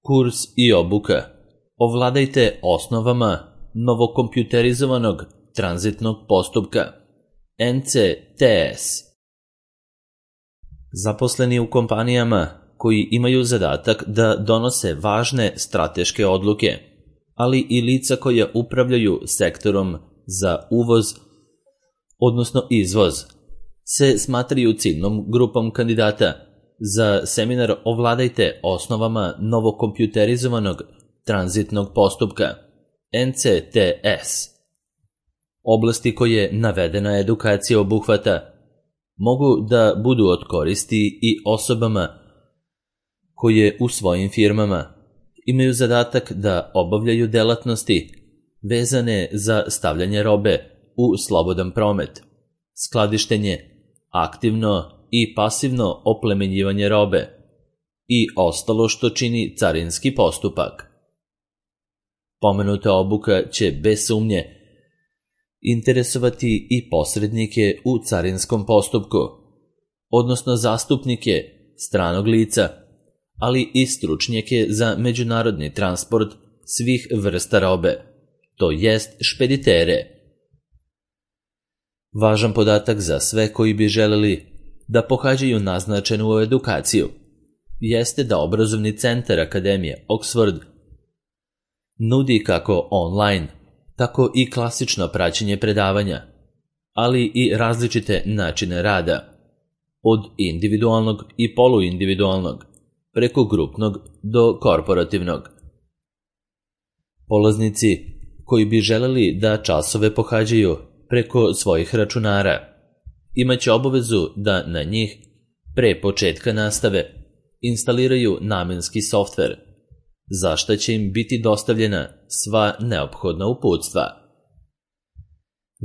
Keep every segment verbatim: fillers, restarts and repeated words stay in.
Kurs i obuka. Ovladajte osnovama novokompjuterizovanog tranzitnog postupka N C T S. Zaposleni u kompanijama koji imaju zadatak da donose važne strateške odluke, ali i lica koja upravljaju sektorom za uvoz, odnosno izvoz, se smatraju ciljnom grupom kandidata za seminar Ovladajte osnovama novokompjuterizovanog tranzitnog postupka N C T S. Oblasti koje navedena edukacija obuhvata mogu da budu od koristi i osobama koje u svojim firmama imaju zadatak da obavljaju delatnosti vezane za stavljanje robe u slobodan promet, skladištenje, aktivno i pasivno oplemenjivanje robe i ostalo što čini carinski postupak. Pomenuta obuka će bez sumnje interesovati i posrednike u carinskom postupku, odnosno zastupnike stranog lica, ali i stručnjake za međunarodni transport svih vrsta robe, to jest špeditere. Važan podatak za sve koji bi želeli da pohađaju naznačenu edukaciju jeste da obrazovni centar Akademije Oxford nudi kako online, tako i klasično praćenje predavanja, ali i različite načine rada, od individualnog i poluindividualnog, preko grupnog do korporativnog. Polaznici koji bi želeli da časove pohađaju preko svojih računara imaće obavezu da na njih, pre početka nastave, instaliraju namenski softver, za šta će im biti dostavljena sva neophodna uputstva.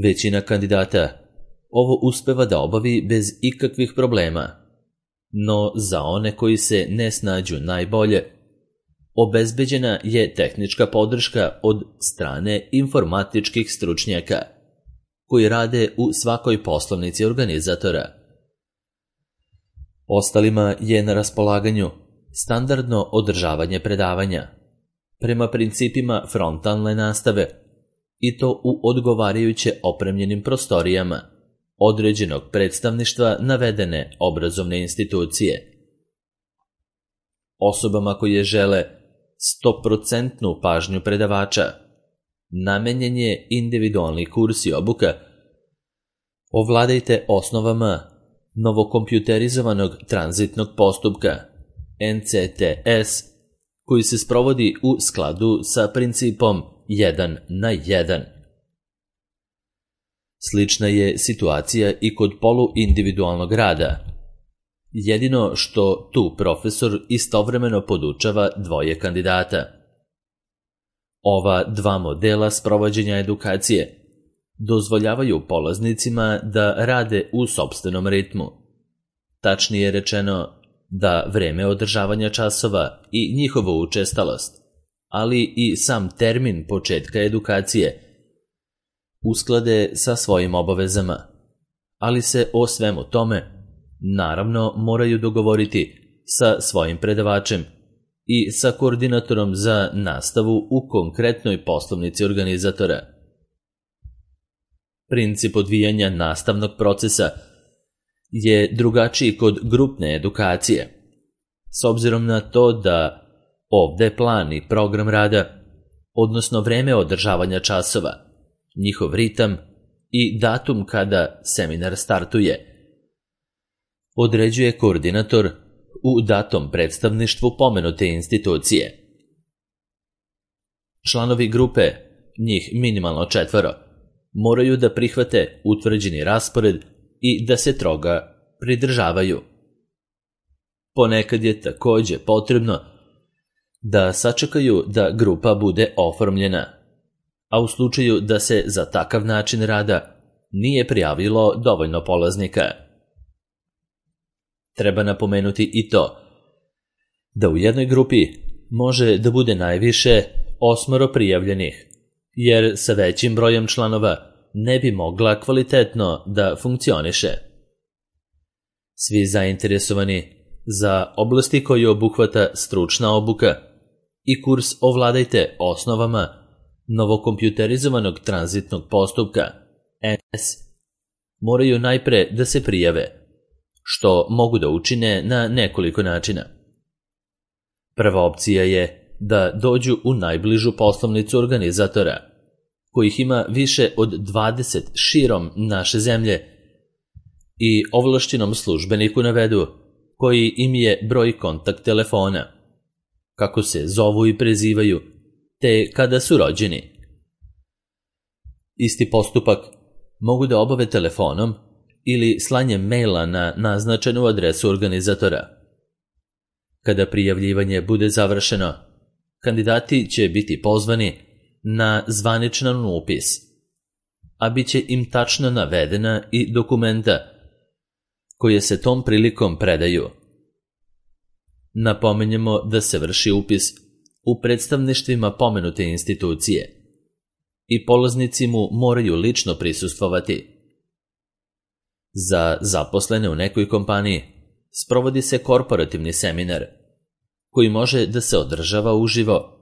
Većina kandidata ovo uspeva da obavi bez ikakvih problema, no za one koji se ne snađu najbolje, obezbeđena je tehnička podrška od strane informatičkih stručnjaka koji rade u svakoj poslovnici organizatora. Ostalima je na raspolaganju standardno održavanje predavanja prema principima frontalne nastave i to u odgovarajuće opremljenim prostorijama određenog predstavništva navedene obrazovne institucije. Osobama koje žele sto posto pažnju predavača namenjen je individualni kurs i obuka Ovladajte osnovama novokompjuterizovanog tranzitnog postupka N C T S, koji se sprovodi u skladu sa principom jedan na jedan. Slična je situacija i kod poluindividualnog rada, jedino što tu profesor istovremeno podučava dvoje kandidata. Ova dva modela sprovođenja edukacije dozvoljavaju polaznicima da rade u sopstvenom ritmu. Tačnije rečeno, da vreme održavanja časova i njihovu učestalost, ali i sam termin početka edukacije usklade sa svojim obavezama, ali se o svemu tome naravno moraju dogovoriti sa svojim predavačem i sa koordinatorom za nastavu u konkretnoj poslovnici organizatora. Princip odvijanja nastavnog procesa je drugačiji kod grupne edukacije, s obzirom na to da ovde plan i program rada, odnosno vreme održavanja časova, njihov ritam i datum kada seminar startuje, određuje koordinator u datom predstavništvu pomenute institucije. Članovi grupe, njih minimalno četvoro, moraju da prihvate utvrđeni raspored i da se toga pridržavaju. Ponekad je takođe potrebno da sačekaju da grupa bude oformljena, a u slučaju da se za takav način rada nije prijavilo dovoljno polaznika. Treba napomenuti i to da u jednoj grupi može da bude najviše osmoro prijavljenih, jer sa većim brojem članova ne bi mogla kvalitetno da funkcioniše. Svi zainteresovani za oblasti koje obuhvata stručna obuka i kurs Ovladajte osnovama novokompjuterizovanog tranzitnog postupka N C S moraju najpre da se prijave, što mogu da učine na nekoliko načina. Prva opcija je da dođu u najbližu poslovnicu organizatora, kojih ima više od dvadeset širom naše zemlje, i ovlašćenom službeniku navedu koji im je broj kontakt telefona, kako se zovu i prezivaju, te kada su rođeni. Isti postupak mogu da obave telefonom ili slanjem maila na naznačenu adresu organizatora. Kada prijavljivanje bude završeno, kandidati će biti pozvani na zvaničan upis, a bit će im tačno navedena i dokumenta koje se tom prilikom predaju. Napominjemo da se vrši upis u predstavništvima pomenute institucije i polaznici mu moraju lično prisustvovati. Za zaposlene u nekoj kompaniji sprovodi se korporativni seminar, koji može da se održava uživo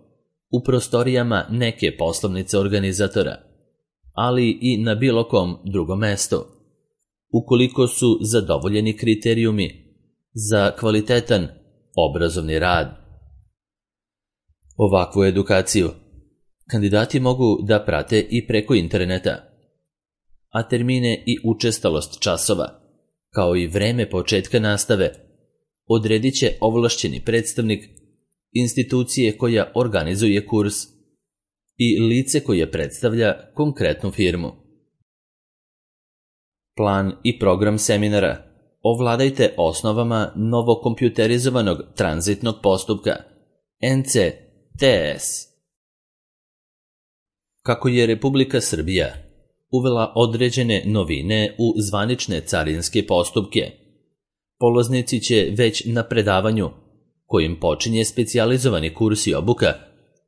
u prostorijama neke poslovnice organizatora, ali i na bilo kom drugom mestu, ukoliko su zadovoljeni kriterijumi za kvalitetan obrazovni rad. Ovakvu edukaciju kandidati mogu da prate i preko interneta, a termine i učestalost časova, kao i vreme početka nastave, odredit će ovlašćeni predstavnik institucije koja organizuje kurs i lice koje predstavlja konkretnu firmu. Plan i program seminara Ovladajte osnovama novokompjuterizovanog tranzitnog postupka N C T S. Kako je Republika Srbija uvela određene novine u zvanične carinske postupke, polaznici će već na predavanju, kojim počinje specijalizovani kurs i obuka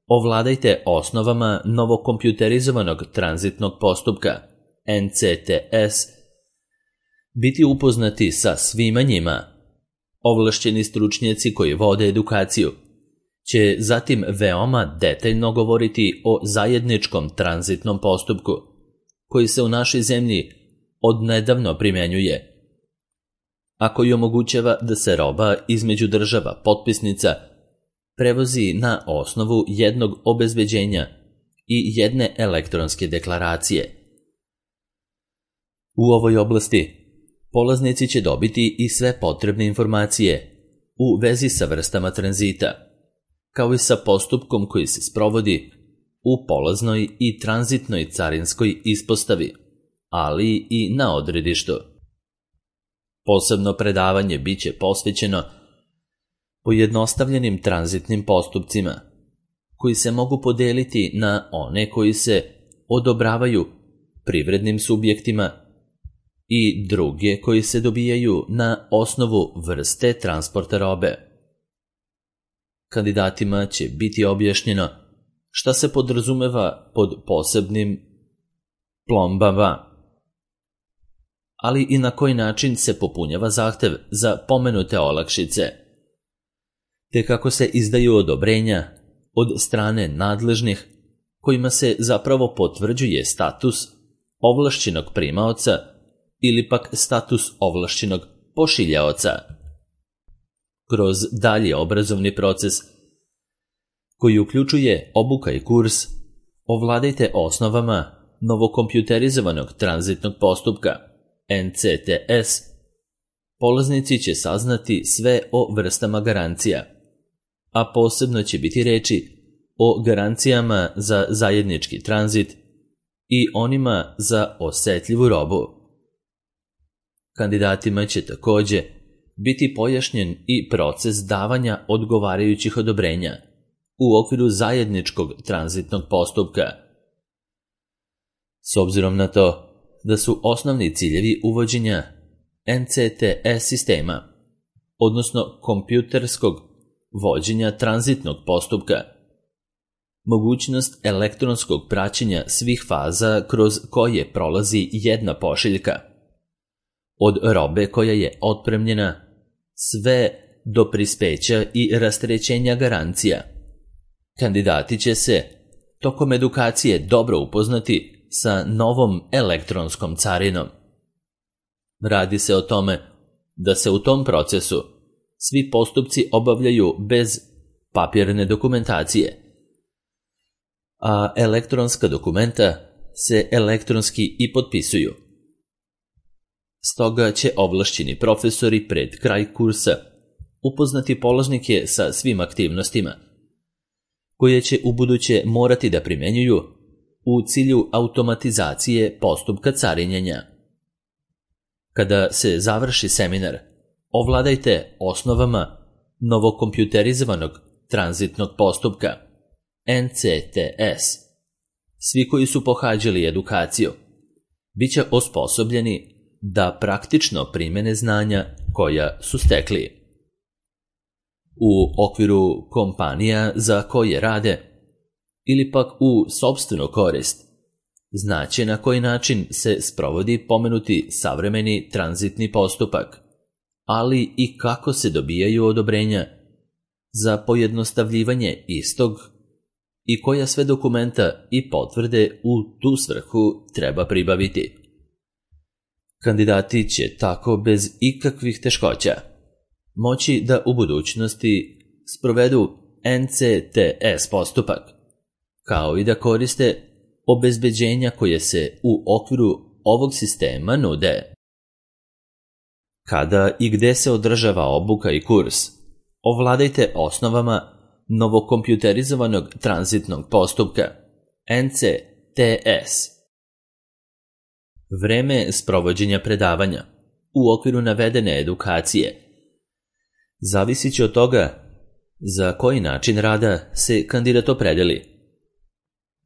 Ovladajte osnovama novokompjuterizovanog tranzitnog postupka N C T S, biti upoznati sa svima njima. Ovlašćeni stručnjaci koji vode edukaciju će zatim veoma detaljno govoriti o zajedničkom tranzitnom postupku, koji se u našoj zemlji odnedavno primenjuje, a koji omogućava da se roba između država potpisnica prevozi na osnovu jednog obezbeđenja i jedne elektronske deklaracije. U ovoj oblasti polaznici će dobiti i sve potrebne informacije u vezi sa vrstama tranzita, kao i sa postupkom koji se sprovodi u polaznoj i tranzitnoj carinskoj ispostavi, ali i na odredištu. Posebno predavanje biće posvećeno pojednostavljenim tranzitnim postupcima, koji se mogu podeliti na one koji se odobravaju privrednim subjektima i druge koji se dobijaju na osnovu vrste transporta robe. Kandidatima će biti objašnjeno šta se podrazumeva pod posebnim plombama, ali i na koji način se popunjava zahtev za pomenute olakšice, te kako se izdaju odobrenja od strane nadležnih, kojima se zapravo potvrđuje status ovlašćenog primaoca ili pak status ovlašćenog pošiljaoca. Kroz dalji obrazovni proces, koji uključuje obuka i kurs Ovladajte osnovama novokompjuterizovanog tranzitnog postupka N C T S, polaznici će saznati sve o vrstama garancija, a posebno će biti reči o garancijama za zajednički tranzit i onima za osetljivu robu. Kandidatima će takođe biti pojašnjen i proces davanja odgovarajućih odobrenja u okviru zajedničkog tranzitnog postupka. S obzirom na to da su osnovni ciljevi uvođenja N C T S sistema, odnosno kompjuterskog vođenja tranzitnog postupka, mogućnost elektronskog praćenja svih faza kroz koje prolazi jedna pošiljka, od robe koja je otpremljena sve do prispeća i rastrećenja garancija, Kandidati će se tokom edukacije dobro upoznati sa novom elektronskom carinom. Radi se o tome da se u tom procesu svi postupci obavljaju bez papirne dokumentacije, a elektronska dokumenta se elektronski i potpisuju. Stoga će ovlašćeni profesori pred kraj kursa upoznati polaznike sa svim aktivnostima, koje će ubuduće morati da primenjuju u cilju automatizacije postupka carinjenja. Kada se završi seminar, ovladajte osnovama novokompjuterizovanog tranzitnog postupka N C T S. Svi koji su pohađali edukaciju bit će osposobljeni da praktično primene znanja koja su stekli. U okviru kompanija za koje rade ili pak u sopstvenu korist, znaće na koji način se sprovodi pomenuti savremeni tranzitni postupak, ali i kako se dobijaju odobrenja za pojednostavljivanje istog i koja sve dokumenta i potvrde u tu svrhu treba pribaviti. Kandidati će tako bez ikakvih teškoća moći da u budućnosti sprovedu N C T S postupak, kao i da koriste obezbeđenja koje se u okviru ovog sistema nude. Kada i gde se održava obuka i kurs, ovladajte osnovama novokompjuterizovanog tranzitnog postupka N C T S. Vreme sprovođenja predavanja u okviru navedene edukacije zavisit će od toga za koji način rada se kandidat opredeli.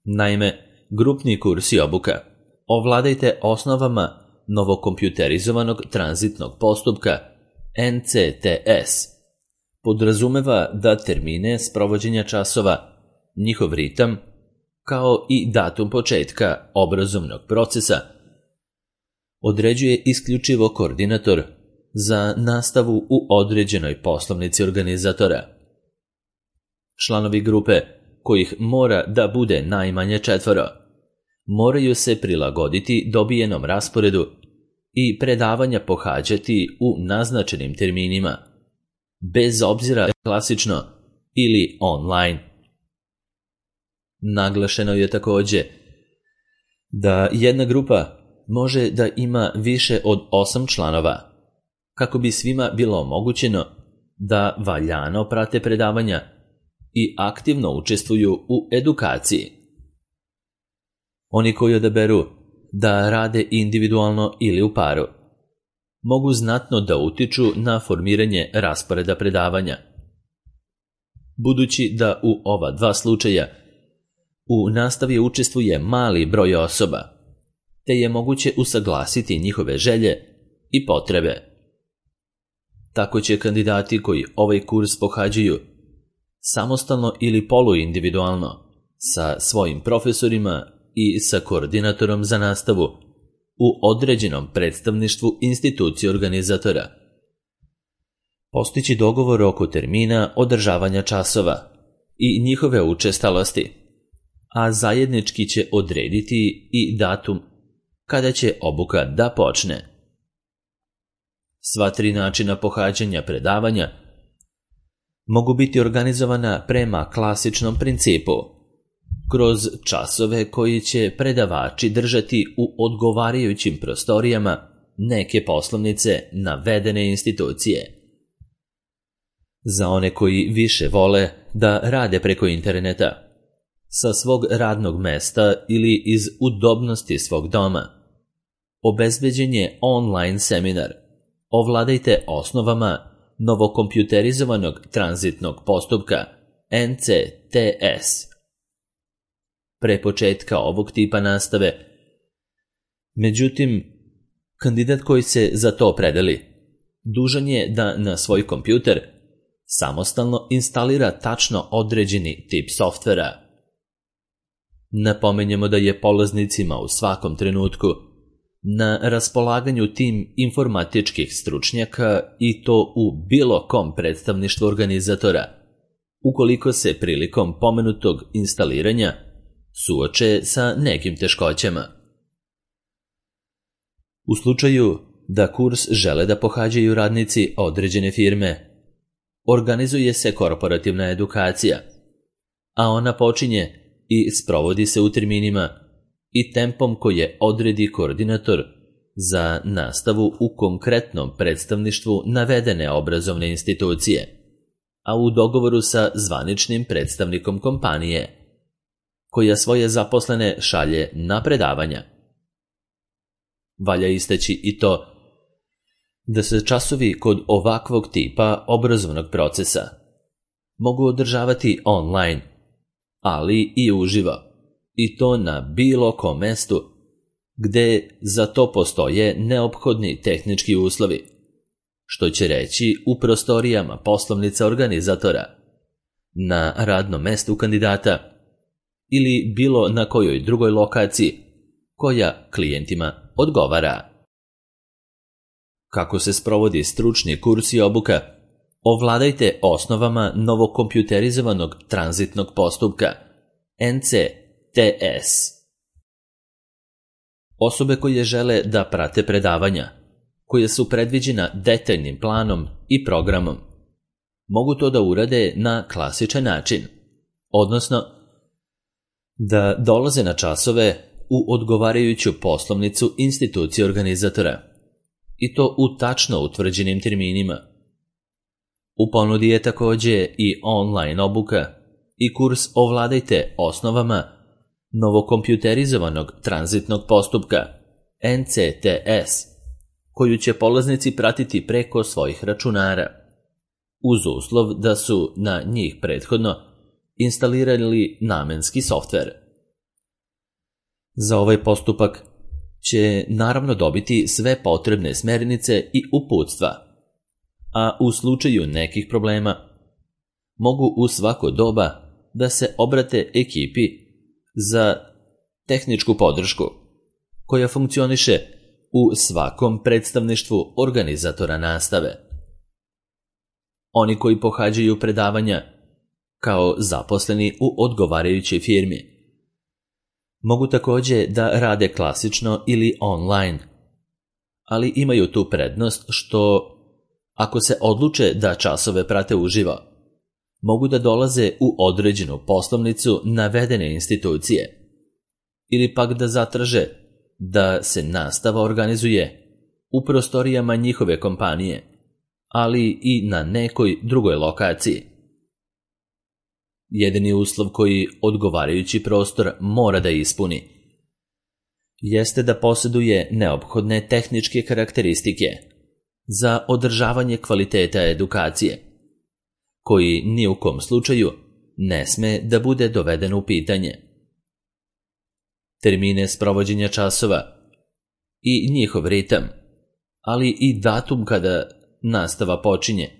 Naime, grupni kurs i obuka ovladajte osnovama novokompjuterizovanog tranzitnog postupka N C T S podrazumeva da termine sprovođenja časova, njihov ritam, kao i datum početka obrazovnog procesa određuje isključivo koordinator za nastavu u određenoj poslovnici organizatora. Članovi grupe, kojih mora da bude najmanje četvoro, moraju se prilagoditi dobijenom rasporedu i predavanja pohađati u naznačenim terminima, bez obzira klasično ili online. Naglašeno je također da jedna grupa može da ima više od osam članova, kako bi svima bilo omogućeno da valjano prate predavanja i aktivno učestvuju u edukaciji. Oni koji odaberu da rade individualno ili u paru mogu znatno da utiču na formiranje rasporeda predavanja. Budući da u ova dva slučaja u nastavi učestvuje mali broj osoba, te je moguće usaglasiti njihove želje i potrebe. Tako će kandidati koji ovaj kurs pohađaju samostalno ili poluindividualno sa svojim profesorima i sa koordinatorom za nastavu u određenom predstavništvu institucije organizatora postići dogovor oko termina održavanja časova i njihove učestalosti, a zajednički će odrediti i datum kada će obuka da počne. Sva tri načina pohađanja predavanja mogu biti organizovana prema klasičnom principu, kroz časove koji će predavači držati u odgovarajućim prostorijama neke poslovnice navedene institucije. Za one koji više vole da rade preko interneta, sa svog radnog mesta ili iz udobnosti svog doma, obezbeđen je online seminar Ovladajte osnovama novokompjuterizovanog tranzitnog postupka N C T S. Pre početka ovog tipa nastave, međutim, kandidat koji se za to opredeli dužan je da na svoj kompjuter samostalno instalira tačno određeni tip softvera. Napomenjemo da je polaznicima u svakom trenutku na raspolaganju tim informatičkih stručnjaka i to u bilo kom predstavništvu organizatora, ukoliko se prilikom pomenutog instaliranja suoče sa nekim teškoćama. U slučaju da kurs žele da pohađaju radnici određene firme, organizuje se korporativna edukacija, a ona počinje i sprovodi se u terminima i tempom koje odredi koordinator za nastavu u konkretnom predstavništvu navedene obrazovne institucije, a u dogovoru sa zvaničnim predstavnikom kompanije, koja svoje zaposlene šalje na predavanja. Valja istaći i to da se časovi kod ovakvog tipa obrazovnog procesa mogu održavati online, ali i uživo, i to na bilo kom mestu gde za to postoje neophodni tehnički uslovi, što će reći u prostorijama poslovnica organizatora, na radnom mestu kandidata ili bilo na kojoj drugoj lokaciji koja klijentima odgovara. Kako se sprovodi stručni kurs i obuka? Ovladajte osnovama novokompjuterizovanog tranzitnog postupka, N C T S. Osobe koje žele da prate predavanja, koje su predviđena detaljnim planom i programom, mogu to da urade na klasičan način, odnosno da dolaze na časove u odgovarajuću poslovnicu institucije organizatora, i to u tačno utvrđenim terminima. U ponudi je takođe i online obuka i kurs Ovladajte osnovama novokompjuterizovanog tranzitnog postupka, N C T S, koju će polaznici pratiti preko svojih računara, uz uslov da su na njih prethodno instalirali namenski softver. Za ovaj postupak će naravno dobiti sve potrebne smernice i uputstva, a u slučaju nekih problema mogu u svako doba da se obrate ekipi za tehničku podršku, koja funkcioniše u svakom predstavništvu organizatora nastave. Oni koji pohađaju predavanja kao zaposleni u odgovarajućoj firmi mogu takođe da rade klasično ili online, ali imaju tu prednost što, ako se odluče da časove prate uživo, mogu da dolaze u određenu poslovnicu navedene institucije, ili pak da zatraže da se nastava organizuje u prostorijama njihove kompanije, ali i na nekoj drugoj lokaciji. Jedini uslov koji odgovarajući prostor mora da ispuni jeste da posjeduje neophodne tehničke karakteristike za održavanje kvaliteta edukacije, koji ni u kom slučaju ne sme da bude doveden u pitanje. Termine sprovođenja časova i njihov ritam, ali i datum kada nastava počinje,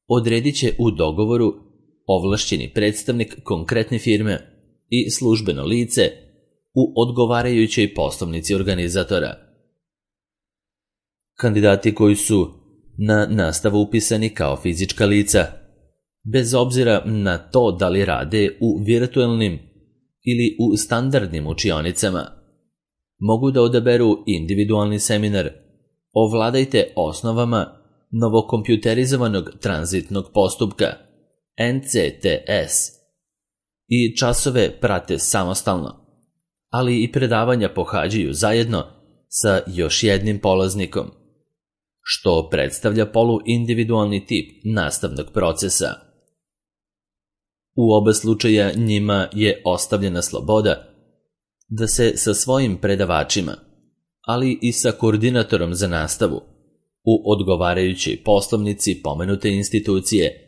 odredit će u dogovoru ovlašćeni predstavnik konkretne firme i službeno lice u odgovarajućoj poslovnici organizatora. Kandidati koji su na nastavu upisani kao fizička lica, bez obzira na to da li rade u virtualnim ili u standardnim učionicama, mogu da odaberu individualni seminar Ovladajte osnovama novokompjuterizovanog tranzitnog postupka, N C T S, i časove prate samostalno, ali i predavanja pohađaju zajedno sa još jednim polaznikom, što predstavlja poluindividualni tip nastavnog procesa. U oba slučaja njima je ostavljena sloboda da se sa svojim predavačima, ali i sa koordinatorom za nastavu u odgovarajućoj poslovnici pomenute institucije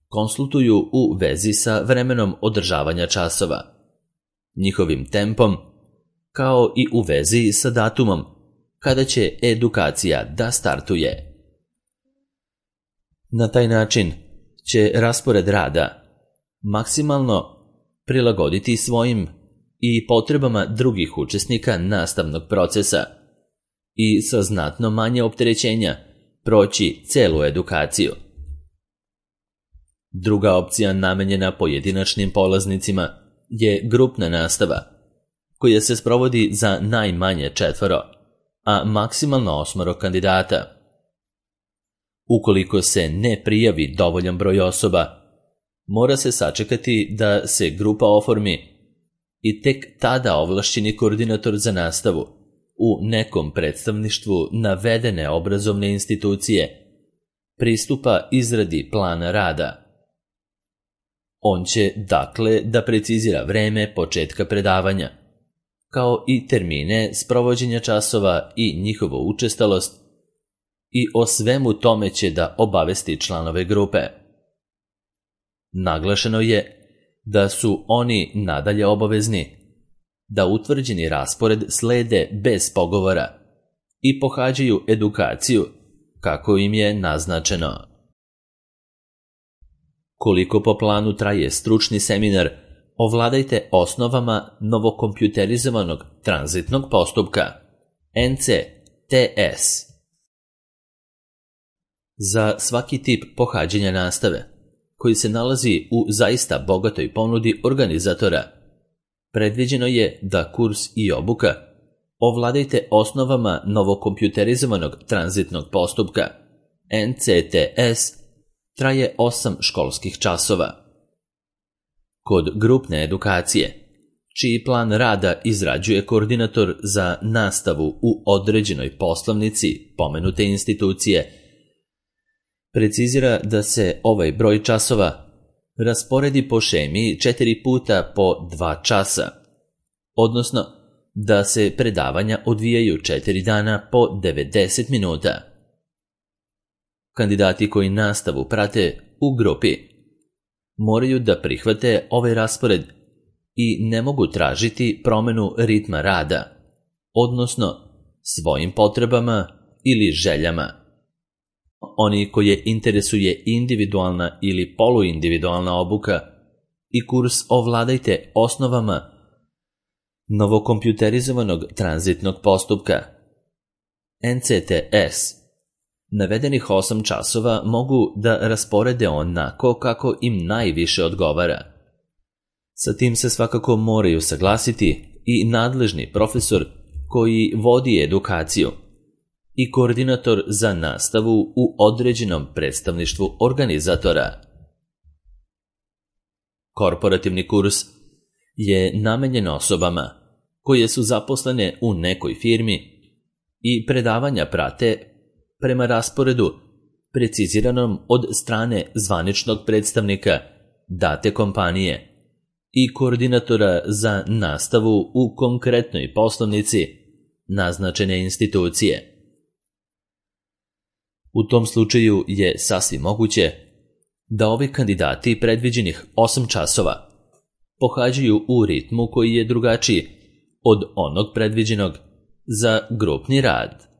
konsultuju u vezi sa vremenom održavanja časova, njihovim tempom, kao i u vezi sa datumom kada će edukacija da startuje. Na taj način će raspored rada maksimalno prilagoditi svojim i potrebama drugih učesnika nastavnog procesa i sa znatno manje opterećenja proći celu edukaciju. Druga opcija namenjena pojedinačnim polaznicima je grupna nastava, koja se sprovodi za najmanje četvoro, a maksimalno osmoro kandidata. Ukoliko se ne prijavi dovoljan broj osoba, mora se sačekati da se grupa oformi i tek tada ovlašćeni koordinator za nastavu u nekom predstavništvu navedene obrazovne institucije pristupa izradi plana rada. On će, dakle, da precizira vreme početka predavanja, kao i termine sprovođenja časova i njihovu učestalost, i o svemu tome će da obavesti članove grupe. Naglašeno je da su oni nadalje obavezni da utvrđeni raspored slede bez pogovora i pohađaju edukaciju kako im je naznačeno. Koliko po planu traje stručni seminar, ovladajte osnovama novokompjuterizovanog tranzitnog postupka N C T S. Za svaki tip pohađanja nastave, koji se nalazi u zaista bogatoj ponudi organizatora, predviđeno je da kurs i obuka ovladajte osnovama novokompjuterizovanog tranzitnog postupka N C T S traje osam školskih časova. Kod grupne edukacije, čiji plan rada izrađuje koordinator za nastavu u određenoj poslovnici pomenute institucije, precizira da se ovaj broj časova rasporedi po šemi četiri puta po dva časa, odnosno da se predavanja odvijaju četiri dana po devedeset minuta. Kandidati koji nastavu prate u grupi moraju da prihvate ovaj raspored i ne mogu tražiti promenu ritma rada, odnosno svojim potrebama ili željama. Oni koje interesuje individualna ili poluindividualna obuka i kurs ovladajte osnovama novokompjuterizovanog tranzitnog postupka N C T S, navedenih osam časova mogu da rasporede onako kako im najviše odgovara. Sa tim se svakako moraju saglasiti i nadležni profesor koji vodi edukaciju i koordinator za nastavu u određenom predstavništvu organizatora. Korporativni kurs je namenjen osobama koje su zaposlene u nekoj firmi i predavanja prate prema rasporedu preciziranom od strane zvaničnog predstavnika date kompanije i koordinatora za nastavu u konkretnoj poslovnici naznačene institucije. U tom slučaju je sasvim moguće da ovi kandidati predviđenih osam časova pohađaju u ritmu koji je drugačiji od onog predviđenog za grupni rad.